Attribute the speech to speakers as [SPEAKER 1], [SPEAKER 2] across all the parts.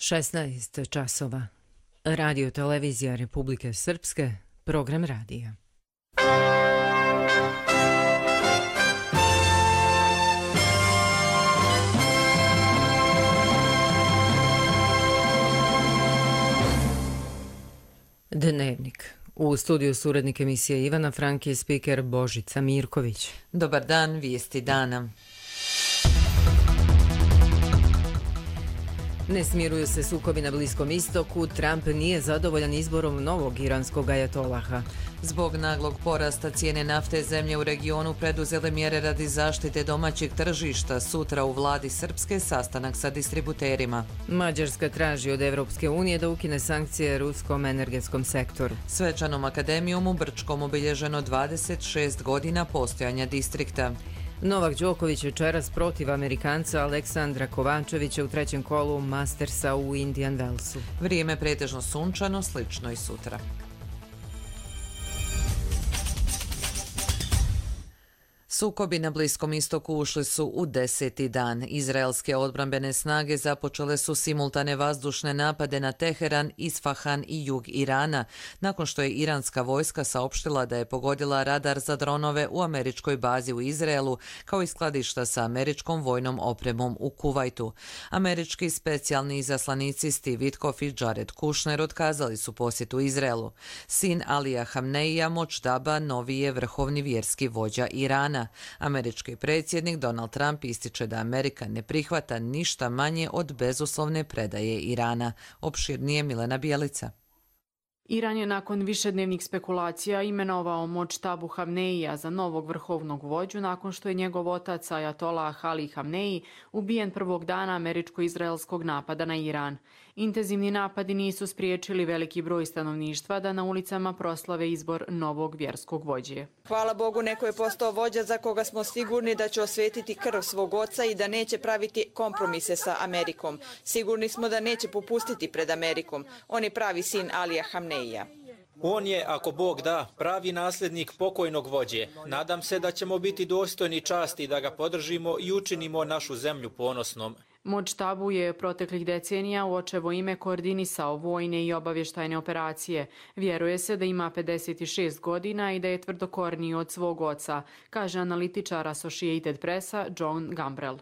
[SPEAKER 1] 16 časova. Radio televizija Republike Srpske, program radija. Dnevnik. U studiju suradnik emisije Ivana Frank je spiker Božica Mirković.
[SPEAKER 2] Dobar dan, vijesti dana.
[SPEAKER 1] Ne smiruju se sukobi na Bliskom istoku, Trump nije zadovoljan izborom novog iranskog ajatolaha.
[SPEAKER 2] Zbog naglog porasta cijene nafte zemlje u regionu preduzele mjere radi zaštite domaćeg tržišta. Sutra u vladi Srpske sastanak sa distributerima.
[SPEAKER 1] Mađarska traži od Evropske unije da ukine sankcije ruskom energetskom sektoru.
[SPEAKER 2] Svečanom akademijom u Brčkom obilježeno 26 godina postojanja distrikta.
[SPEAKER 1] Novak Đoković večeras protiv Amerikanca Aleksandra Kovačevića u trećem kolu Mastersa u Indian Wellsu.
[SPEAKER 2] Vrijeme pretežno sunčano, slično i sutra. Sukobi na Bliskom istoku ušli su u 10. dan. Izraelske odbrambene snage započele su simultane vazdušne napade na Teheran, Isfahan i jug Irana, nakon što je iranska vojska saopštila da je pogodila radar za dronove u američkoj bazi u Izraelu, kao i skladišta sa američkom vojnom opremom u Kuvajtu. Američki specijalni izaslanici Steve Witkoff i Jared Kushner otkazali su posjetu Izraelu. Sin Alija Hamneija Močtaba novi je vrhovni vjerski vođa Irana. Američki predsjednik Donald Trump ističe da Amerika ne prihvata ništa manje od bezuslovne predaje Irana. Opširnije Milena Bijelica.
[SPEAKER 3] Iran je nakon višednevnih spekulacija imenovao Močtabu Hamneija za novog vrhovnog vođu nakon što je njegov otac Ajatolah Ali Hamneji ubijen prvog dana američko-izraelskog napada na Iran. Intenzivni napadi nisu spriječili veliki broj stanovništva da na ulicama proslave izbor novog vjerskog vođe.
[SPEAKER 4] Hvala Bogu, neko je postao vođa za koga smo sigurni da će osvetiti krv svog oca i da neće praviti kompromise sa Amerikom. Sigurni smo da neće popustiti pred Amerikom. On je pravi sin Alija Hamneija.
[SPEAKER 5] On je, ako Bog da, pravi nasljednik pokojnog vođe. Nadam se da ćemo biti dostojni časti da ga podržimo i učinimo našu zemlju ponosnom.
[SPEAKER 3] Močtabu je proteklih decenija u očevo ime koordinisao vojne i obavještajne operacije. Vjeruje se da ima 56 godina i da je tvrdokorniji od svog oca, kaže analitičar Associated Pressa John Gambrell.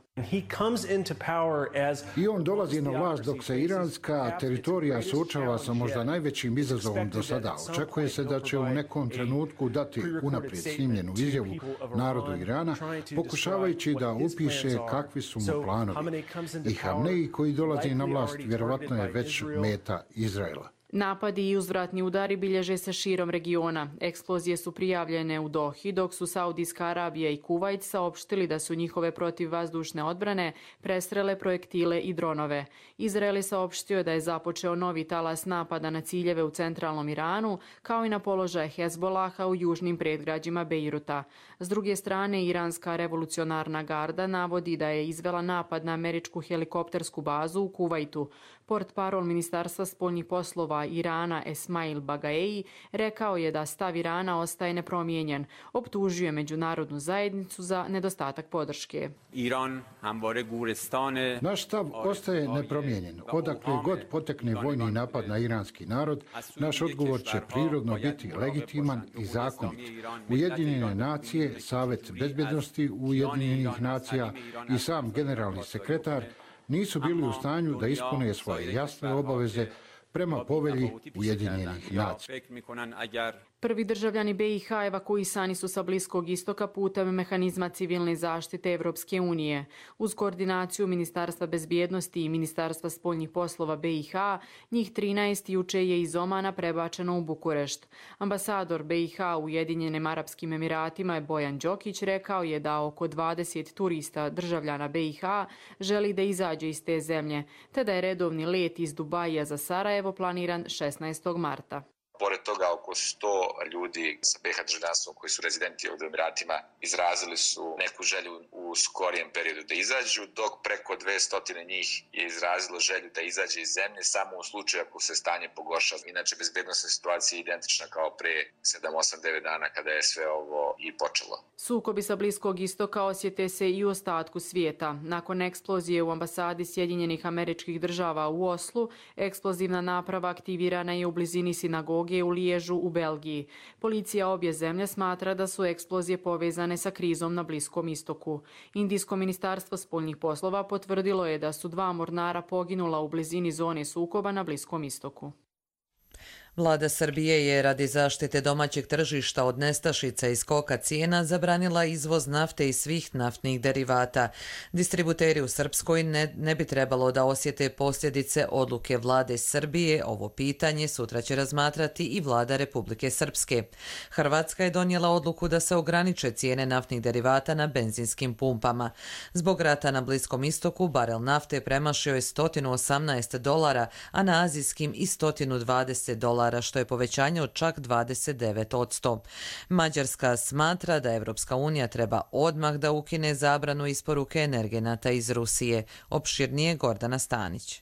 [SPEAKER 6] I on dolazi na vlast dok se iranska teritorija suočava sa možda najvećim izazovom do sada. Očekuje se da će u nekom trenutku dati unaprijed snimljenu izjavu narodu Irana, pokušavajući da upiše kakvi su mu planovi. I Hamneji koji dolazi na vlast vjerovatno je već meta Izraela.
[SPEAKER 3] Napadi i uzvratni udari bilježe se širom regiona. Eksplozije su prijavljene u Dohi, dok su Saudijska Arabija i Kuvajt saopštili da su njihove protivvazdušne odbrane prestrele projektile i dronove. Izrael je saopštio da je započeo novi talas napada na ciljeve u centralnom Iranu, kao i na položaje Hezbolaha u južnim predgrađima Bejruta. S druge strane, Iranska revolucionarna garda navodi da je izvela napad na američku helikoptersku bazu u Kuvajtu. Portparol Ministarstva spoljnih poslova Irana Esmail Bagaei rekao je da stav Irana ostaje nepromijenjen. Optužio je međunarodnu zajednicu za nedostatak podrške.
[SPEAKER 6] Naš stav ostaje nepromijenjen. Odakle god potekne vojni napad na iranski narod, naš odgovor će prirodno biti legitiman i zakonit. Ujedinjene nacije, Savet bezbjednosti Ujedinjenih nacija i sam generalni sekretar nisu bili u stanju da ispune svoje jasne obaveze prema povelji Ujedinjenih nacija.
[SPEAKER 3] Prvi državljani BiH evakuisani su sa Bliskog istoka putem mehanizma civilne zaštite Evropske unije. Uz koordinaciju Ministarstva bezbjednosti i Ministarstva spoljnih poslova BiH, njih 13 juče je iz Omana prebačeno u Bukurešt. Ambasador BiH u Ujedinjenim Arapskim Emiratima Bojan Đokić rekao je da oko 20 turista državljana BiH želi da izađe iz te zemlje, te da je redovni let iz Dubaija za Sarajevo planiran 16. marta.
[SPEAKER 7] Pored toga, oko 100 ljudi sa BiH državljanstvom koji su rezidenti ovdje u Emiratima izrazili su neku želju u skorijem periodu da izađu, dok preko 200 njih je izrazilo želju da izađe iz zemlje samo u slučaju ako se stanje pogorša. Inače, bezbednosna situacija je identična kao pre 7, 8, 9 dana kada je sve ovo i počelo.
[SPEAKER 3] Sukobi sa Bliskog istoka osjete se i u ostatku svijeta. Nakon eksplozije u ambasadi Sjedinjenih Američkih Država u Oslu, eksplozivna naprava aktivirana je u blizini sinagoge u Liježu u Belgiji. Policija obje zemlje smatra da su eksplozije povezane sa krizom na Bliskom istoku. Indijsko ministarstvo spoljnih poslova potvrdilo je da su 2 mornara poginula u blizini zone sukoba na Bliskom istoku.
[SPEAKER 2] Vlada Srbije je radi zaštite domaćeg tržišta od nestašica i skoka cijena zabranila izvoz nafte i svih naftnih derivata. Distributeri u Srpskoj ne bi trebalo da osjete posljedice odluke Vlade Srbije. Ovo pitanje sutra će razmatrati i Vlada Republike Srpske. Hrvatska je donijela odluku da se ograniče cijene naftnih derivata na benzinskim pumpama. Zbog rata na Bliskom istoku barel nafte premašio je $118, a na azijskim i $120, što je povećanje od čak 29%. Mađarska smatra da Evropska unija treba odmah da ukine zabranu isporuke energenata iz Rusije. Opširnije Gordana Stanić.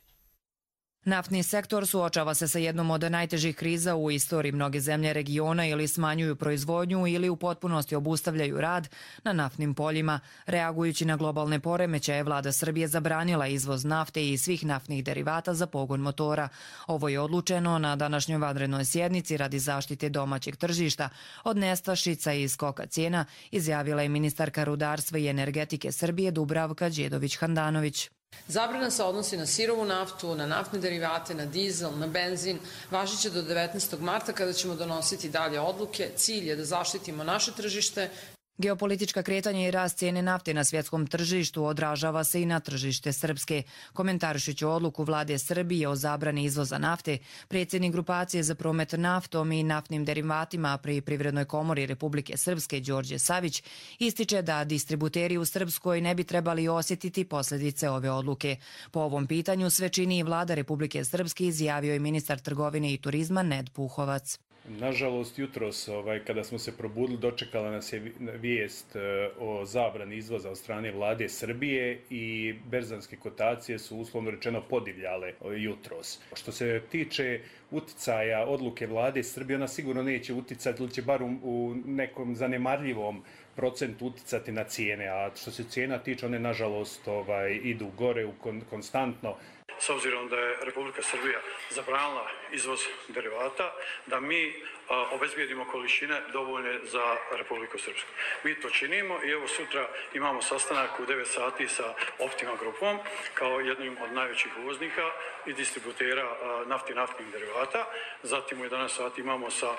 [SPEAKER 8] Naftni sektor suočava se sa jednom od najtežih kriza u istoriji. Mnoge zemlje regiona ili smanjuju proizvodnju ili u potpunosti obustavljaju rad na naftnim poljima. Reagujući na globalne poremećaje, Vlada Srbije zabranila izvoz nafte i svih naftnih derivata za pogon motora. Ovo je odlučeno na današnjoj vanrednoj sjednici radi zaštite domaćeg tržišta od nestašica i skoka cijena, izjavila je ministarka rudarstva i energetike Srbije Dubravka Đedović-Handanović.
[SPEAKER 9] Zabrana se odnosi na sirovu naftu, na naftne derivate, na dizel, na benzin. Važiće do 19. marta kada ćemo donositi dalje odluke. Cilj je da zaštitimo naše tržište.
[SPEAKER 8] Geopolitička kretanja i rast cijene nafte na svjetskom tržištu odražava se i na tržište Srpske. Komentarišući odluku Vlade Srbije o zabrani izvoza nafte, predsjednik grupacije za promet naftom i naftnim derivatima pri Privrednoj komori Republike Srpske Đorđe Savić ističe da distributeri u Srpskoj ne bi trebali osjetiti posljedice ove odluke. Po ovom pitanju sve čini i Vlada Republike Srpske, izjavio je ministar trgovine i turizma Ned Puhovac.
[SPEAKER 10] Nažalost, jutros kada smo se probudili, dočekala nas je vijest o zabrani izvoza od strane Vlade Srbije i berzanske kotacije su uslovno rečeno podivljale jutros. Što se tiče uticaja odluke Vlade Srbije, ona sigurno neće uticati ili će bar u nekom zanemarljivom procentu uticati na cijene, a što se cijena tiče, one nažalost idu gore konstantno.
[SPEAKER 11] S obzirom da je Republika Srbija zabranila izvoz derivata, da mi obezbijedimo količine dovoljne za Republiku Srpsku. Mi to činimo i evo sutra imamo sastanak u 9 sati sa Optima grupom kao jednim od najvećih uvoznika i distributera nafti i naftnih derivata. Zatim u 11 sati imamo sa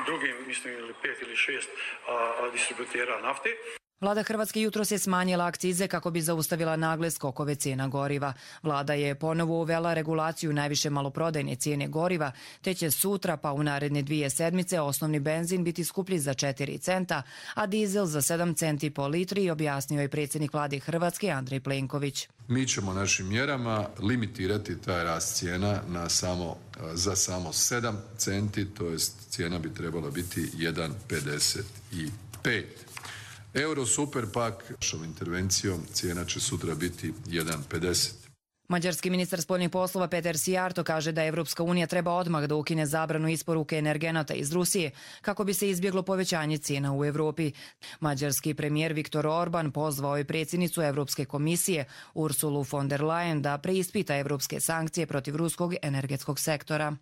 [SPEAKER 11] drugim, mislim, ili 5 ili 6 distributera nafte.
[SPEAKER 8] Vlada Hrvatske jutros je smanjila akcize kako bi zaustavila nagle skokove cijena goriva. Vlada je ponovo uvela regulaciju najviše maloprodajne cijene goriva, te će sutra pa u naredne 2 sedmice osnovni benzin biti skuplji za 4 centa, a dizel za 7 centi po litri, objasnio je predsjednik Vlade Hrvatske Andrej Plenković.
[SPEAKER 12] Mi ćemo našim mjerama limitirati taj rast cijena za samo 7 centi, to jest cijena bi trebala biti 1,55. Euro super pak, našom intervencijom cijena će sutra biti 1,50.
[SPEAKER 8] Mađarski ministar spoljnih poslova Peter Sijarto kaže da Evropska unija treba odmah da ukine zabranu isporuke energenata iz Rusije kako bi se izbjeglo povećanje cijena u Evropi. Mađarski premijer Viktor Orban pozvao je predsjednicu Evropske komisije Ursulu von der Leyen da preispita evropske sankcije protiv ruskog energetskog sektora.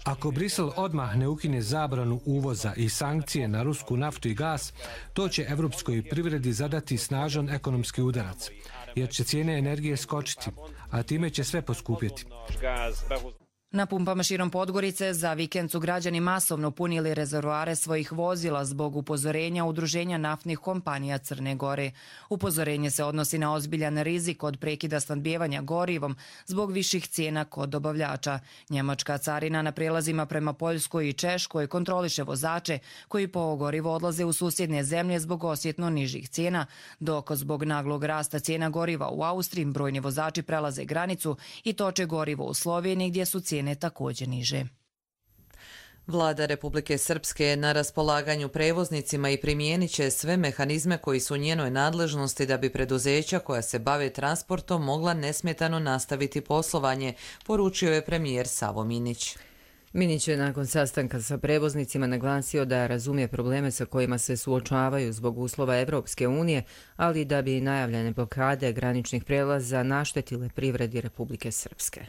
[SPEAKER 13] Ako Brisel odmah ne ukine zabranu uvoza i sankcije na rusku naftu i gas, to će evropskoj privredi zadati snažan ekonomski udarac, jer će cijene energije skočiti, a time će sve poskupjeti.
[SPEAKER 8] Na pumpama širom Podgorice za vikend su građani masovno punili rezervoare svojih vozila zbog upozorenja Udruženja naftnih kompanija Crne Gore. Upozorenje se odnosi na ozbiljan rizik od prekida snabdijevanja gorivom zbog viših cijena kod dobavljača. Njemačka carina na prijelazima prema Poljskoj i Češkoj kontroliše vozače koji po gorivo odlaze u susjedne zemlje zbog osjetno nižih cijena, dok zbog naglog rasta cijena goriva u Austriji brojni vozači prelaze granicu i toče gorivo u Sloveniji gdje su cijene cene također niže.
[SPEAKER 2] Vlada Republike Srpske je na raspolaganju prevoznicima i primijenit će sve mehanizme koji su u njenoj nadležnosti da bi preduzeća koja se bave transportom mogla nesmetano nastaviti poslovanje, poručio je premijer Savo Minić.
[SPEAKER 1] Minić je nakon sastanka sa prevoznicima naglasio da razumije probleme sa kojima se suočavaju zbog uslova Evropske unije, ali da bi najavljene blokade graničnih prelaza naštetile privredi Republike Srpske.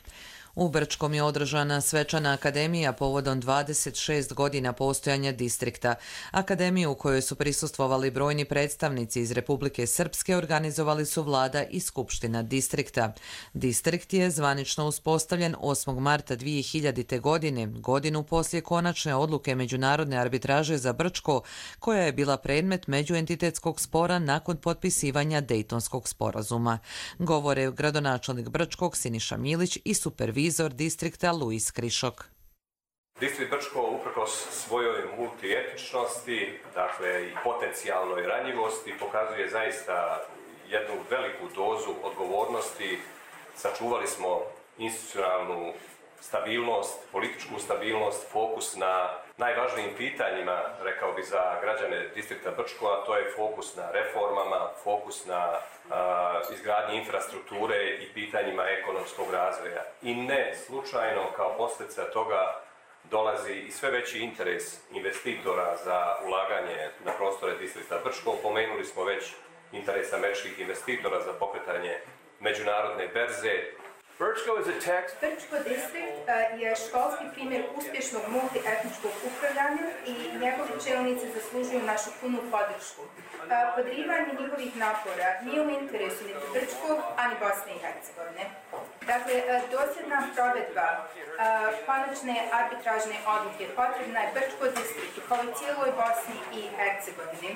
[SPEAKER 2] U Brčkom je održana svečana akademija povodom 26 godina postojanja distrikta. Akademiju u kojoj su prisustvovali brojni predstavnici iz Republike Srpske organizovali su vlada i skupština distrikta. Distrikt je zvanično uspostavljen 8. marta 2000. godine, godinu poslije konačne odluke Međunarodne arbitraže za Brčko, koja je bila predmet međuentitetskog spora nakon potpisivanja Dejtonskog sporazuma. Govore gradonačelnik Brčkog Siniša Milić i supervizor distrikta Luis Krišok.
[SPEAKER 14] Distrikt Brčko uprkos svojoj multietičnosti, dakle i potencijalnoj ranjivosti, pokazuje zaista jednu veliku dozu odgovornosti. Sačuvali smo institucionalnu stabilnost, političku stabilnost, fokus na najvažnijim pitanjima, rekao bi za građane distrikta Brčko, a to je fokus na reformama, fokus na izgradnji infrastrukture i pitanjima ekonomskog razvoja. I ne slučajno kao posljedica toga dolazi i sve veći interes investitora za ulaganje na prostore distrikta Brčko. Pomenuli smo već interes američkih investitora za pokretanje međunarodne berze.
[SPEAKER 15] Brčko distrikt je školski primjer uspješnog multietničkog upravljanja i njegovi čelnici zaslužuju našu punu podršku. Podrivanje njihovih napora nije u interesu niti Brčkog, ani Bosne i Hercegovine. Dakle, dosljedna provedba konačne arbitražne odluke potrebna je Brčko distriktu, kao i cijeloj Bosni i Hercegovini.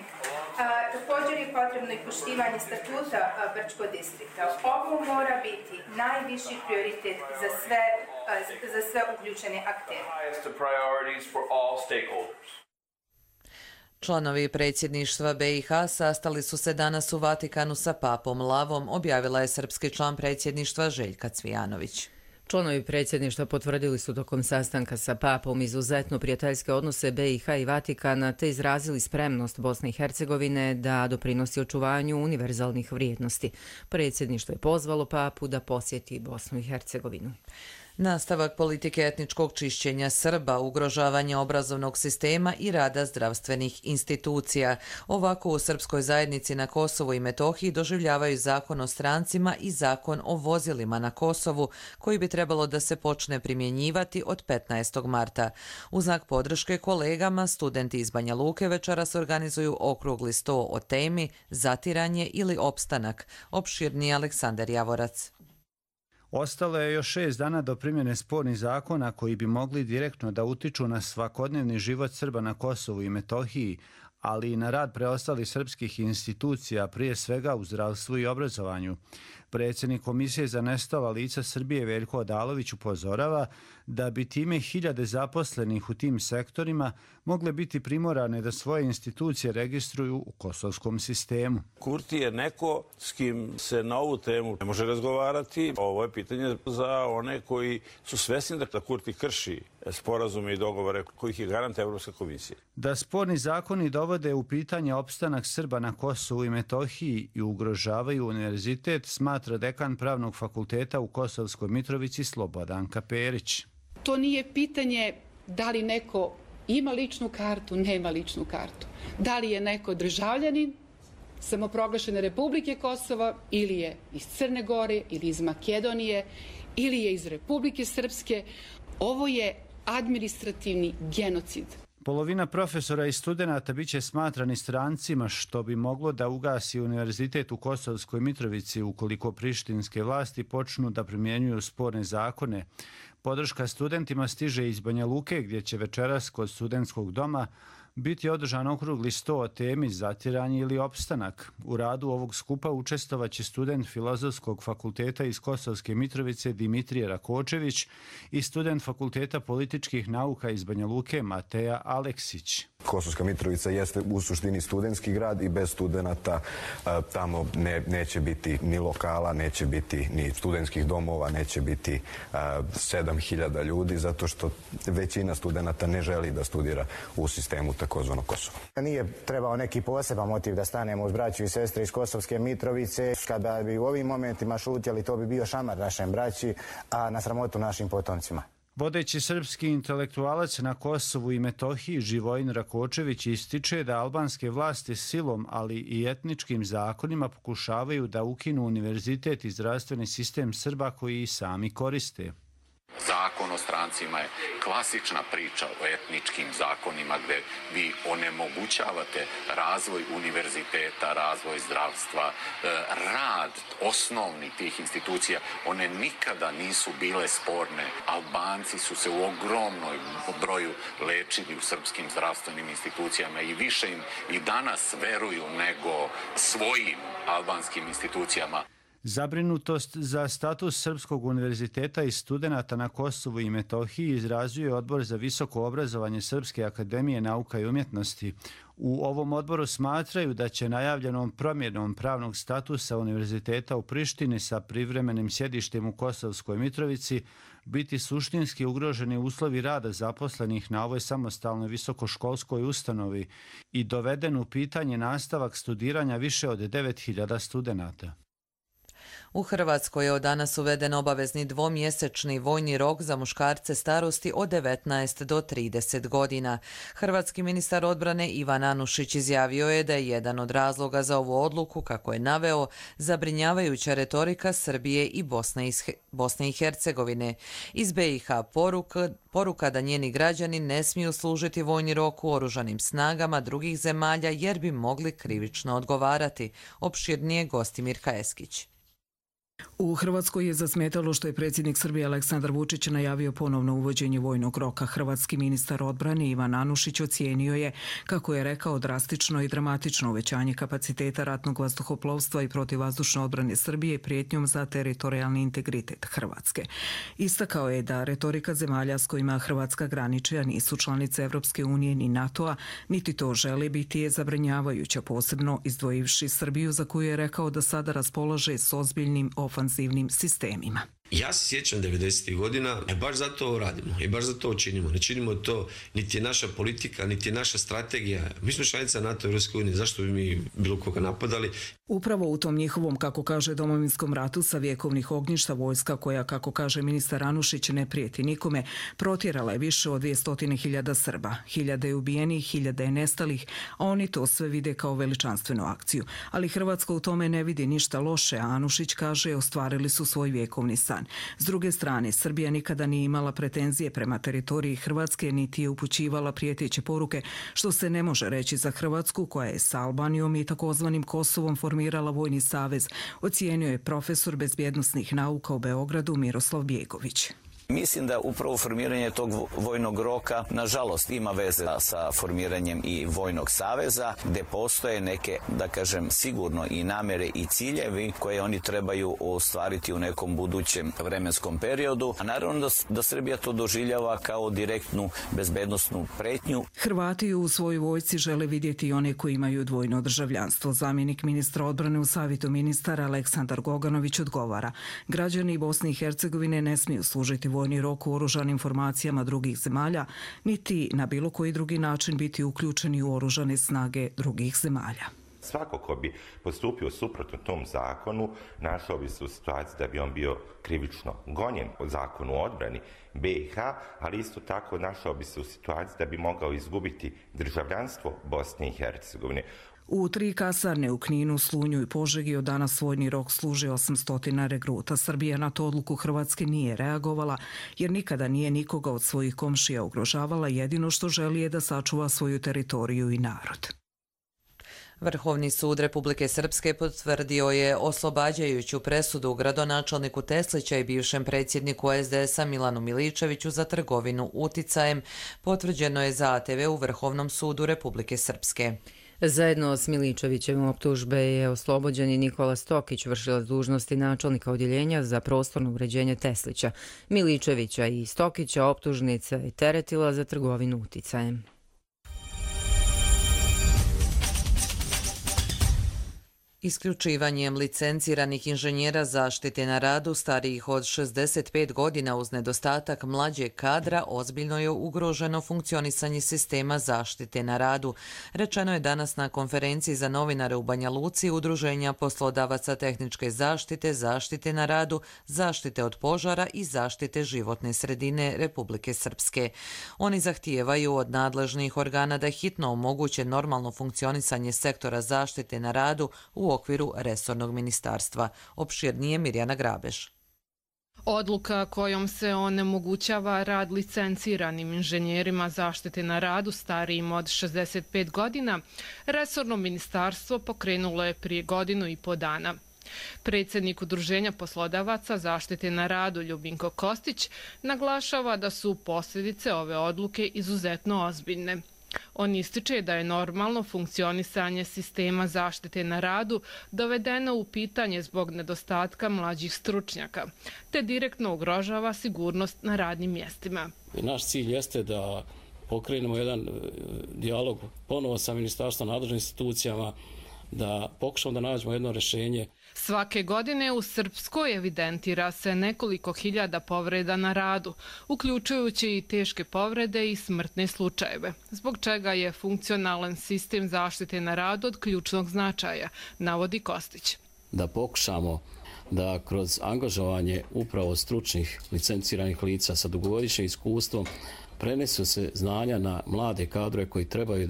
[SPEAKER 15] Također je potrebno i poštivanje statuta Brčko distrikta. Ovo mora biti najviši prioritet za sve uključene aktere.
[SPEAKER 2] Članovi predsjedništva BiH sastali su se danas u Vatikanu sa papom Lavom, objavila je srpski član predsjedništva Željka Cvijanović.
[SPEAKER 1] Članovi predsjedništva potvrdili su tokom sastanka sa papom izuzetno prijateljske odnose BiH i Vatikana te izrazili spremnost Bosne i Hercegovine da doprinosi očuvanju univerzalnih vrijednosti. Predsjedništvo je pozvalo papu da posjeti Bosnu i Hercegovinu.
[SPEAKER 2] Nastavak politike etničkog čišćenja Srba, ugrožavanje obrazovnog sistema i rada zdravstvenih institucija. Ovako u srpskoj zajednici na Kosovu i Metohiji doživljavaju zakon o strancima i zakon o vozilima na Kosovu, koji bi trebalo da se počne primjenjivati od 15. marta. U znak podrške kolegama, studenti iz Banja Luke večeras organizuju okrugli sto o temi zatiranje ili opstanak. Opširni Aleksandar Javorac.
[SPEAKER 16] Ostalo je još 6 dana do primjene spornih zakona koji bi mogli direktno da utiču na svakodnevni život Srba na Kosovu i Metohiji, ali i na rad preostalih srpskih institucija, prije svega u zdravstvu i obrazovanju. Predsjednik Komisije za nestala lica Srbije Veljko Odalović upozorava da bi time hiljade zaposlenih u tim sektorima mogle biti primorane da svoje institucije registruju u kosovskom sistemu.
[SPEAKER 17] Kurti je neko s kim se na ovu temu ne može razgovarati. Ovo je pitanje za one koji su svesni da Kurti krši sporazume i dogovore kojih je garant Evropska komisija.
[SPEAKER 16] Da sporni zakoni dovode u pitanje opstanak Srba na Kosovu i Metohiji i ugrožavaju univerzitet, smatra dekan Pravnog fakulteta u Kosovskoj Mitrovici Slobodanka Perić.
[SPEAKER 18] To nije pitanje da li neko ima ličnu kartu, nema ličnu kartu. Da li je neko državljanin samoproglašene Republike Kosova ili je iz Crne Gore ili iz Makedonije ili je iz Republike Srpske. Ovo je administrativni genocid.
[SPEAKER 16] Polovina profesora i studenata biće smatrani strancima, što bi moglo da ugasi univerzitet u Kosovskoj Mitrovici ukoliko prištinske vlasti počnu da primjenjuju sporne zakone. Podrška studentima stiže iz Banja Luke, gdje će večeras kod studentskog doma biti održan okrugli sto o temi zatiranje ili opstanak. U radu ovog skupa učestvovaće student Filozofskog fakulteta iz Kosovske Mitrovice Dimitrije Rakočević i student Fakulteta političkih nauka iz Banja Luke Mateja Aleksić.
[SPEAKER 19] Kosovska Mitrovica jeste u suštini studentski grad i bez studenata tamo neće biti ni lokala, neće biti ni studentskih domova, neće biti 7.000 ljudi, zato što većina studenata ne želi da studira u sistemu takozvanog Kosova.
[SPEAKER 20] Nije trebao neki poseban motiv da stanemo uz braću i sestre iz Kosovske Mitrovice. Kada bi u ovim momentima šutjeli, to bi bio šamar našem braći, a na sramotu našim potomcima.
[SPEAKER 16] Vodeći srpski intelektualac na Kosovu i Metohiji Živojin Rakočević ističe da albanske vlasti silom, ali i etničkim zakonima pokušavaju da ukinu univerzitet i zdravstveni sistem Srba koji i sami koriste.
[SPEAKER 21] Zakon o strancima je klasična priča o etničkim zakonima gdje vi onemogućavate razvoj univerziteta, razvoj zdravstva, rad osnovni tih institucija. One nikada nisu bile sporne. Albanci su se u ogromnom broju lečili u srpskim zdravstvenim institucijama i više im i danas veruju nego svojim albanskim institucijama.
[SPEAKER 16] Zabrinutost za status Srpskog univerziteta i studenata na Kosovu i Metohiji izrazio je Odbor za visoko obrazovanje Srpske akademije nauka i umjetnosti. U ovom odboru smatraju da će najavljenom promjenom pravnog statusa univerziteta u Prištini sa privremenim sjedištem u Kosovskoj Mitrovici biti suštinski ugroženi uslovi rada zaposlenih na ovoj samostalnoj visokoškolskoj ustanovi i doveden u pitanje nastavak studiranja više od 9.000 studenata.
[SPEAKER 2] U Hrvatskoj je od danas uveden obavezni dvomjesečni vojni rok za muškarce starosti od 19 do 30 godina. Hrvatski ministar odbrane Ivan Anušić izjavio je da je jedan od razloga za ovu odluku, kako je naveo, zabrinjavajuća retorika Srbije i Bosne i Hercegovine. Iz BiH poruka da njeni građani ne smiju služiti vojni rok u oružanim snagama drugih zemalja jer bi mogli krivično odgovarati. Opširnije Gostimir Kaeskić.
[SPEAKER 22] U Hrvatskoj je zasmetalo što je predsjednik Srbije Aleksandar Vučić najavio ponovno uvođenje vojnog roka. Hrvatski ministar odbrane Ivan Anušić ocijenio je, kako je rekao, drastično i dramatično uvećanje kapaciteta ratnog vazduhoplovstva i protivvazdušne odbrane Srbije prijetnjom za teritorijalni integritet Hrvatske. Istakao je da retorika zemalja s kojima Hrvatska graniči, a nisu članice Evropske unije ni NATO-a, niti to žele biti, je zabrinjavajuća, posebno izdvojivši Srbiju, za koju je rekao da sada raspolaže s ozbiljnim ofanzivnim sistemima.
[SPEAKER 23] Ja se sjećam 90. godina i baš zato radimo i baš zato činimo. Ne činimo to, niti je naša politika, niti je naša strategija. Mi smo članica NATO i Evropske unije, zašto bi mi bilo koga napadali?
[SPEAKER 22] Upravo u tom njihovom, kako kaže, domovinskom ratu sa vjekovnih ognjišta vojska koja, kako kaže ministar Anušić, ne prijeti nikome, protjerala je više od 200.000 Srba. 1.000 je ubijenih, 1.000 je nestalih, a oni to sve vide kao veličanstvenu akciju. Ali Hrvatska u tome ne vidi ništa loše, a Anušić kaže ostvarili su svoj vjekovni san. S druge strane, Srbija nikada nije imala pretenzije prema teritoriji Hrvatske, niti je upućivala prijeteće poruke, što se ne može reći za Hrvatsku, koja je sa Albanijom i takozvanim Kosovom formirala vojni savez, ocijenio je profesor bezbjednosnih nauka u Beogradu Miroslav Bjegović.
[SPEAKER 24] Mislim da upravo formiranje tog vojnog roka, nažalost, ima veze sa formiranjem i vojnog saveza, gde postoje neke, da kažem, sigurno i namere i ciljevi koje oni trebaju ostvariti u nekom budućem vremenskom periodu. A naravno da Srbija to doživljava kao direktnu bezbednosnu pretnju.
[SPEAKER 22] Hrvati u svojoj vojsci žele vidjeti i one koji imaju dvojno državljanstvo. Zamjenik ministra odbrane u savjetu ministara Aleksandar Goganović odgovara: građani Bosne i Hercegovine ne smiju služiti vojni rok u oružanim formacijama drugih zemalja, niti na bilo koji drugi način biti uključeni u oružane snage drugih zemalja.
[SPEAKER 25] Svako ko bi postupio suprotno tom zakonu, našao bi se u situaciji da bi on bio krivično gonjen po zakonu o odbrani BiH, ali isto tako našao bi se u situaciji da bi mogao izgubiti državljanstvo Bosne i Hercegovine.
[SPEAKER 22] U 3 kasarne u Kninu, Slunju i Požegi od danas vojni rok služi 800 regruta. Srbija na to odluku Hrvatske nije reagovala, jer nikada nije nikoga od svojih komšija ugrožavala, jedino što želi je da sačuva svoju teritoriju i narod.
[SPEAKER 2] Vrhovni sud Republike Srpske potvrdio je oslobađajuću presudu gradonačelniku Teslića i bivšem predsjedniku SDS-a Milanu Miličeviću za trgovinu uticajem. Potvrđeno je za ATV u Vrhovnom sudu Republike Srpske.
[SPEAKER 1] Zajedno s Miličevićem optužbe je oslobođen i Nikola Stokić, vršilac dužnosti načelnika odjeljenja za prostorno uređenje Teslića. Miličevića i Stokića optužnica je teretila za trgovinu uticajem.
[SPEAKER 2] Isključivanjem licenciranih inženjera zaštite na radu starijih od 65 godina uz nedostatak mlađeg kadra ozbiljno je ugroženo funkcionisanje sistema zaštite na radu. Rečeno je danas na konferenciji za novinare u Banja Luci Udruženja poslodavaca tehničke zaštite, zaštite na radu, zaštite od požara i zaštite životne sredine Republike Srpske. Oni zahtijevaju od nadležnih organa da hitno omoguće normalno funkcionisanje sektora zaštite na radu u okviru resornog ministarstva. Opširnije Mirjana Grabeš.
[SPEAKER 3] Odluka kojom se onemogućava rad licenciranim inženjerima zaštite na radu starijim od 65 godina, resorno ministarstvo pokrenulo je prije 1,5 godina. Predsjednik Udruženja poslodavaca zaštite na radu Ljubinko Kostić naglašava da su posljedice ove odluke izuzetno ozbiljne. On ističe da je normalno funkcionisanje sistema zaštite na radu dovedeno u pitanje zbog nedostatka mlađih stručnjaka, te direktno ugrožava sigurnost na radnim mjestima.
[SPEAKER 4] Naš cilj jeste da pokrenemo jedan dijalog ponovo sa ministarstvom, nadležnim institucijama, da pokušamo da nađemo jedno rješenje.
[SPEAKER 3] Svake godine u Srpskoj evidentira se nekoliko hiljada povreda na radu, uključujući i teške povrede i smrtne slučajeve, zbog čega je funkcionalan sistem zaštite na radu od ključnog značaja, navodi Kostić.
[SPEAKER 4] Da pokušamo da kroz angažovanje upravo stručnih licenciranih lica sa dugogodišnjim iskustvom prenesu se znanja na mlade kadrove koji trebaju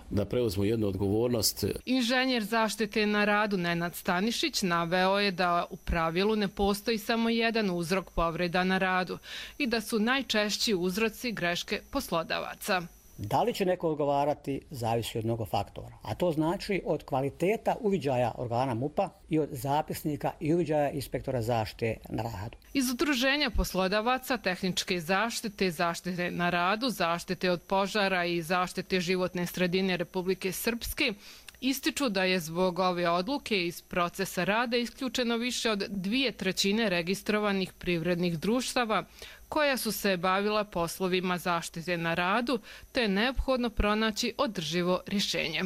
[SPEAKER 4] da preuzmu jednu odgovornost.
[SPEAKER 3] Inženjer zaštite na radu Nenad Stanišić naveo je da u pravilu ne postoji samo jedan uzrok povreda na radu i da su najčešći uzroci greške poslodavaca.
[SPEAKER 5] Da li će neko odgovarati zavisi od mnogo faktora, a to znači od kvaliteta uviđaja organa MUP-a i od zapisnika i uviđaja inspektora zaštite na radu.
[SPEAKER 3] Iz Udruženja poslodavaca tehničke zaštite, zaštite na radu, zaštite od požara i zaštite životne sredine Republike Srpske ističu da je zbog ove odluke iz procesa rada isključeno više od 2/3 registrovanih privrednih društava koja su se bavila poslovima zaštite na radu, te je neophodno pronaći održivo rješenje.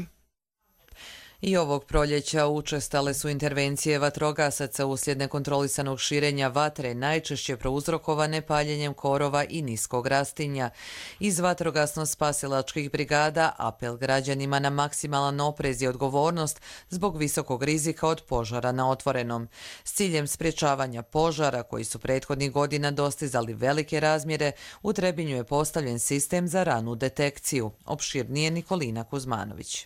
[SPEAKER 2] I ovog proljeća učestale su intervencije vatrogasaca uslijed nekontrolisanog širenja vatre, najčešće prouzrokovane paljenjem korova i niskog rastinja. Iz vatrogasno-spasilačkih brigada apel građanima na maksimalan oprez i odgovornost zbog visokog rizika od požara na otvorenom. S ciljem sprječavanja požara, koji su prethodnih godina dostizali velike razmjere, u Trebinju je postavljen sistem za ranu detekciju. Opširnije Nikolina Kuzmanović.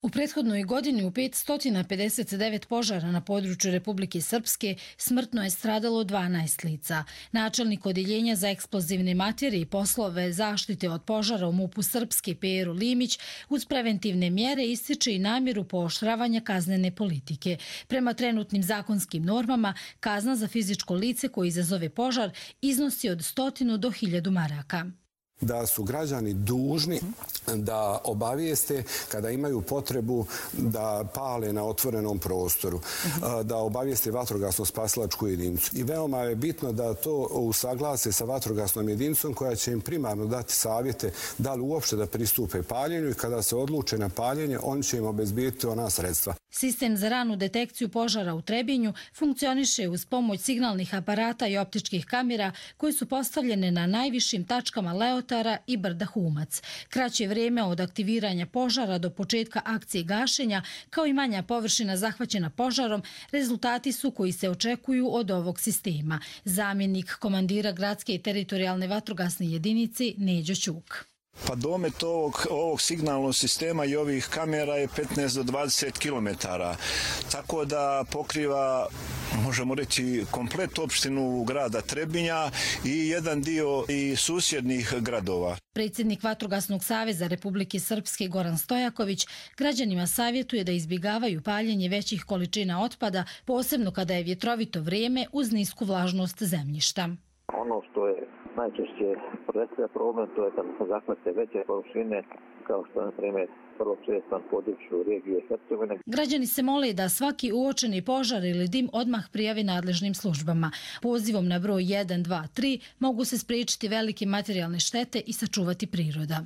[SPEAKER 6] U prethodnoj godini u 559 požara na području Republike Srpske smrtno je stradalo 12 lica. Načelnik Odjeljenja za eksplozivne materije i poslove zaštite od požara u MUP-u Srpske Pero Limić uz preventivne mjere ističe i namjeru pooštravanja kaznene politike. Prema trenutnim zakonskim normama, kazna za fizičko lice koje izazove požar iznosi od 100 do 1000 maraka.
[SPEAKER 7] Da su građani dužni da obavijeste kada imaju potrebu da pale na otvorenom prostoru, da obavijeste vatrogasno-spasilačku jedinicu. I veoma je bitno da to usaglase sa vatrogasnom jedinicom koja će im primarno dati savjete da li uopšte da pristupe paljenju i kada se odluče na paljenje, oni će im obezbijeti ona sredstva.
[SPEAKER 6] Sistem za ranu detekciju požara u Trebinju funkcioniše uz pomoć signalnih aparata i optičkih kamera koje su postavljene na najvišim tačkama Leotara i brda Humac. Kraće vrijeme od aktiviranja požara do početka akcije gašenja, kao i manja površina zahvaćena požarom, rezultati su koji se očekuju od ovog sistema. Zamjenik komandira gradske i teritorijalne vatrogasne jedinice Neđo Ćuk.
[SPEAKER 26] Pa domet ovog signalnog sistema i ovih kamera je 15 do 20 km. Tako da pokriva, možemo reći, komplet opštinu grada Trebinja i jedan dio i susjednih gradova.
[SPEAKER 6] Predsjednik Vatrogasnog saveza Republike Srpske Goran Stojaković građanima savjetuje da izbjegavaju paljenje većih količina otpada, posebno kada je vjetrovito vrijeme uz nisku vlažnost zemljišta.
[SPEAKER 27] Ono što je najčešće predstavlja problem, to je kad se zahvate veće površine, kao što je, na primjer, vrlo često na području regije Hercegovine.
[SPEAKER 6] Građani se mole da svaki uočeni požar ili dim odmah prijavi nadležnim službama. Pozivom na broj 123 mogu se spriječiti velike materijalne štete i sačuvati priroda.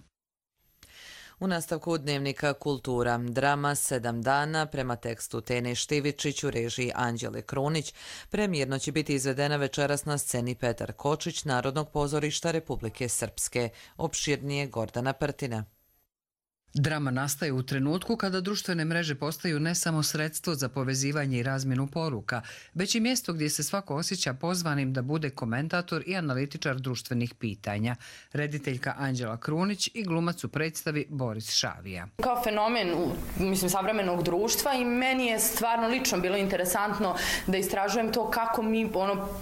[SPEAKER 2] U nastavku dnevnika Kultura, drama 7 dana prema tekstu Tene Štivičić u režiji Anđele Krunić. Premijerno će biti izvedena večeras na sceni Petar Kočić, Narodnog pozorišta Republike Srpske. Opširnije Gordana Prtina.
[SPEAKER 8] Drama nastaje u trenutku kada društvene mreže postaju ne samo sredstvo za povezivanje i razmjenu poruka, već i mjesto gdje se svako osjeća pozvanim da bude komentator i analitičar društvenih pitanja. Rediteljka Anđela Krunić i glumac u predstavi Boris Šavija.
[SPEAKER 9] Kao fenomen savremenog društva i meni je stvarno lično bilo interesantno da istražujem to kako mi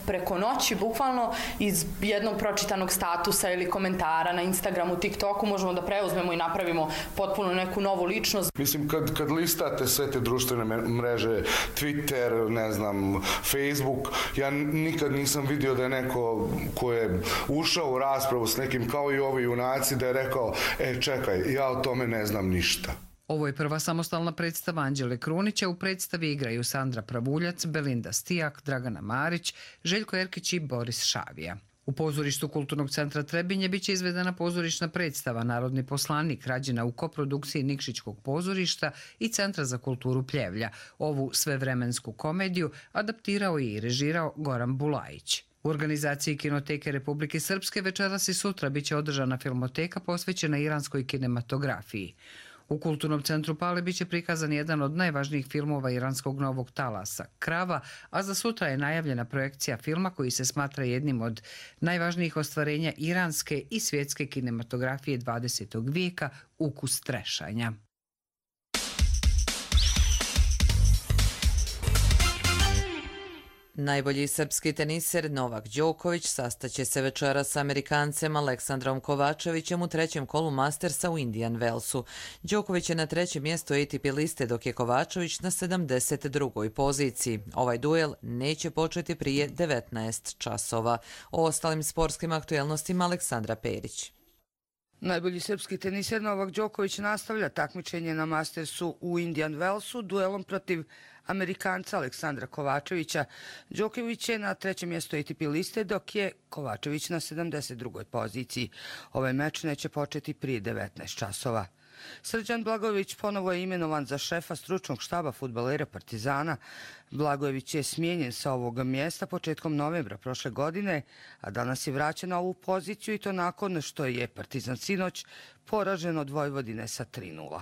[SPEAKER 9] preko noći, bukvalno iz jednog pročitanog statusa ili komentara na Instagramu, TikToku možemo da preuzmemo i napravimo potpuno neku novu ličnost.
[SPEAKER 10] Mislim, kad listate sve te društvene mreže, Twitter, ne znam, Facebook, ja nikad nisam vidio da je neko ko je ušao u raspravu s nekim kao i ovi junaci da je rekao, čekaj, ja o tome ne znam ništa.
[SPEAKER 8] Ovo je prva samostalna predstava Anđele Krunića. U predstavi igraju Sandra Pravuljac, Belinda Stijak, Dragana Marić, Željko Erkić i Boris Šavija. U pozorištu Kulturnog centra Trebinje biće izvedena pozorišna predstava Narodni poslanik, rađena u koprodukciji Nikšićkog pozorišta i Centra za kulturu Pljevlja. Ovu svevremensku komediju adaptirao i režirao Goran Bulajić. U organizaciji Kinoteke Republike Srpske večeras i sutra biće održana filmoteka posvećena iranskoj kinematografiji. U Kulturnom centru Pale biće prikazan jedan od najvažnijih filmova iranskog novog talasa, Krava, a za sutra je najavljena projekcija filma koji se smatra jednim od najvažnijih ostvarenja iranske i svjetske kinematografije 20. vijeka, Ukus trešanja.
[SPEAKER 2] Najbolji srpski teniser Novak Đoković sastaće se večera sa Amerikancem Aleksandrom Kovačevićem u trećem kolu Mastersa u Indian Wellsu. Đoković je na trećem mjestu ATP liste, dok je Kovačević na 72. poziciji. Ovaj duel neće početi prije 19 časova. O ostalim sportskim aktuelnostima Aleksandra Perić.
[SPEAKER 11] Najbolji srpski teniser Novak Đoković nastavlja takmičenje na Mastersu u Indian Wellsu duelom protiv Amerikanca Aleksandra Kovačevića. Đoković je na trećem mjestu ATP liste, dok je Kovačević na 72. poziciji. Ovaj meč neće početi prije 19 časova. Srđan Blagojević ponovo je imenovan za šefa stručnog štaba fudbalera Partizana. Blagojević je smijenjen sa ovog mjesta početkom novembra prošle godine, a danas je vraćen na ovu poziciju i to nakon što je Partizan sinoć poražen od Vojvodine sa 3:0.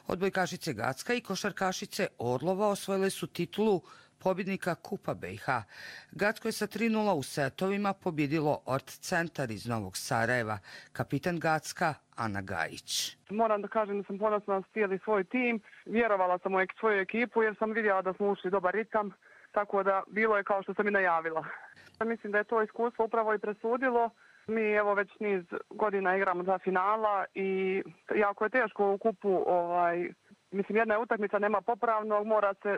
[SPEAKER 11] Odbojkašice Gacka i košarkašice Orlova osvojile su titulu pobjednika Kupa BiH. Gacko je sa 3:0 u setovima pobjedilo Ort Centar iz Novog Sarajeva. Kapitan Gacka Ana Gajić.
[SPEAKER 12] Moram da kažem da sam ponosna na cijeli svoj tim. Vjerovala sam u svoju ekipu jer sam vidjela da smo ušli dobar ritam, tako da bilo je kao što sam i najavila. Mislim da je to iskustvo upravo i presudilo. Mi evo već niz godina igramo za finala i jako je teško u kupu, mislim jedna je utakmica, nema popravnog,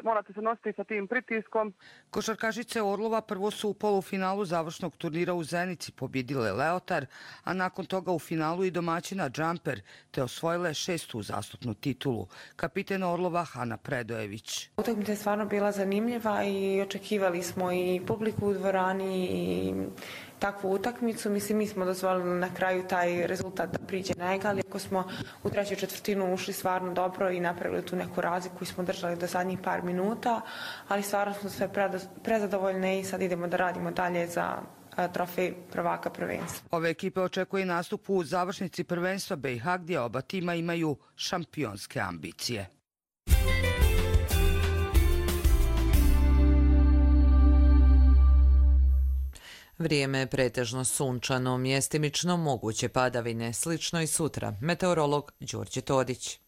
[SPEAKER 12] morate se nositi sa tim pritiskom.
[SPEAKER 11] Košarkašice Orlova prvo su u polufinalu završnog turnira u Zenici pobjedile Leotar, a nakon toga u finalu i domaćina Džamper, te osvojile 6. uzastopnu titulu. Kapiten Orlova Hana Predojević.
[SPEAKER 13] Utakmica je stvarno bila zanimljiva i očekivali smo i publiku u dvorani i takvu utakmicu. Mislim, mi smo dozvolili na kraju taj rezultat da priđe na egal, iako smo u trećoj četvrtinu ušli stvarno dobro i napravili tu neku razliku koju smo držali do zadnjih par minuta, ali stvarno smo sve prezadovoljne i sad idemo da radimo dalje za trofej prvaka prvenstva.
[SPEAKER 11] Ove ekipe očekuje nastup u završnici prvenstva BiH, gdje oba tima imaju šampionske ambicije.
[SPEAKER 2] Vrijeme je pretežno sunčano, mjestimično moguće padavine, slično i sutra. Meteorolog Đorđe Todić.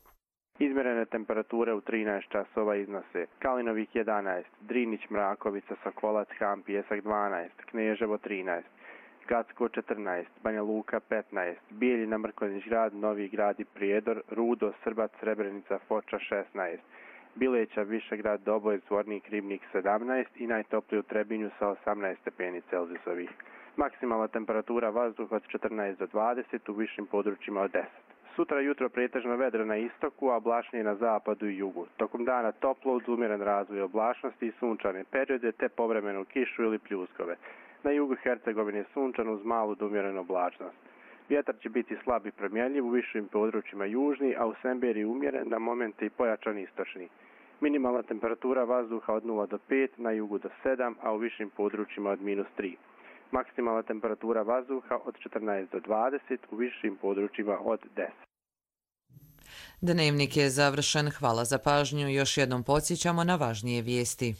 [SPEAKER 14] Izmjerene temperature u 13 časova iznose Kalinovik 11, Drinić, Mrakovica, Sokolac, Ham, Pjesak 12, Kneževo 13, Gacko 14, Banja Luka 15, Bijeljina, Mrkonjić Grad, Novi Grad i Prijedor, Rudo, Srbac, Srebrenica, Foča 16, Bileća, Višegrad, Doboj, Zvornik, Ribnik 17 i najtopliji u Trebinju sa 18 stepeni Celzijusovih. Maksimalna temperatura vazduha od 14 do 20, u višim područjima od 10. Sutra jutro pretežno vedro na istoku, a oblačnije na zapadu i jugu. Tokom dana toplo uz umjeren razvoj oblačnosti i sunčane periode te povremenu kišu ili pljuskove. Na jugu Hercegovine sunčano uz malu do umjerenu oblačnost. Vjetar će biti slab i promjenljiv u višim područjima južni, a u Semberiji umjeren, na momente i pojačan istočni. Minimalna temperatura vazduha od 0 do 5, na jugu do 7, a u višim područjima od -3. Maksimalna temperatura vazduha od 14 do 20, u višim područjima od 10.
[SPEAKER 2] Dnevnik je završen. Hvala za pažnju. Još jednom podsjećamo na važnije vijesti.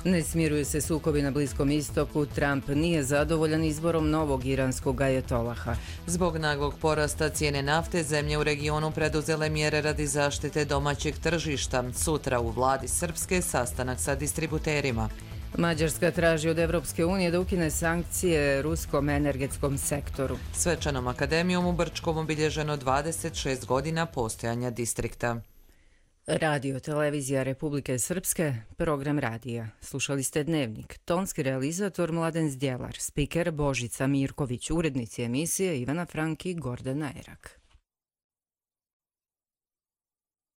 [SPEAKER 1] Ne smiruju se sukobi na Bliskom istoku. Trump nije zadovoljan izborom novog iranskog ajatolaha.
[SPEAKER 2] Zbog naglog porasta cijene nafte, zemlje u regionu preduzele mjere radi zaštite domaćeg tržišta. Sutra u vladi Srpske sastanak sa distributerima.
[SPEAKER 1] Mađarska traži od Evropske unije da ukine sankcije ruskom energetskom sektoru.
[SPEAKER 2] Svečanom akademijom u Brčkom obilježeno 26 godina postojanja distrikta.
[SPEAKER 1] Radio televizija Republike Srpske, program radija. Slušali ste Dnevnik. Tonski realizator Mladen Zdjelar, spiker Božica Mirković, urednici emisije Ivana Franki, Gordana Erak.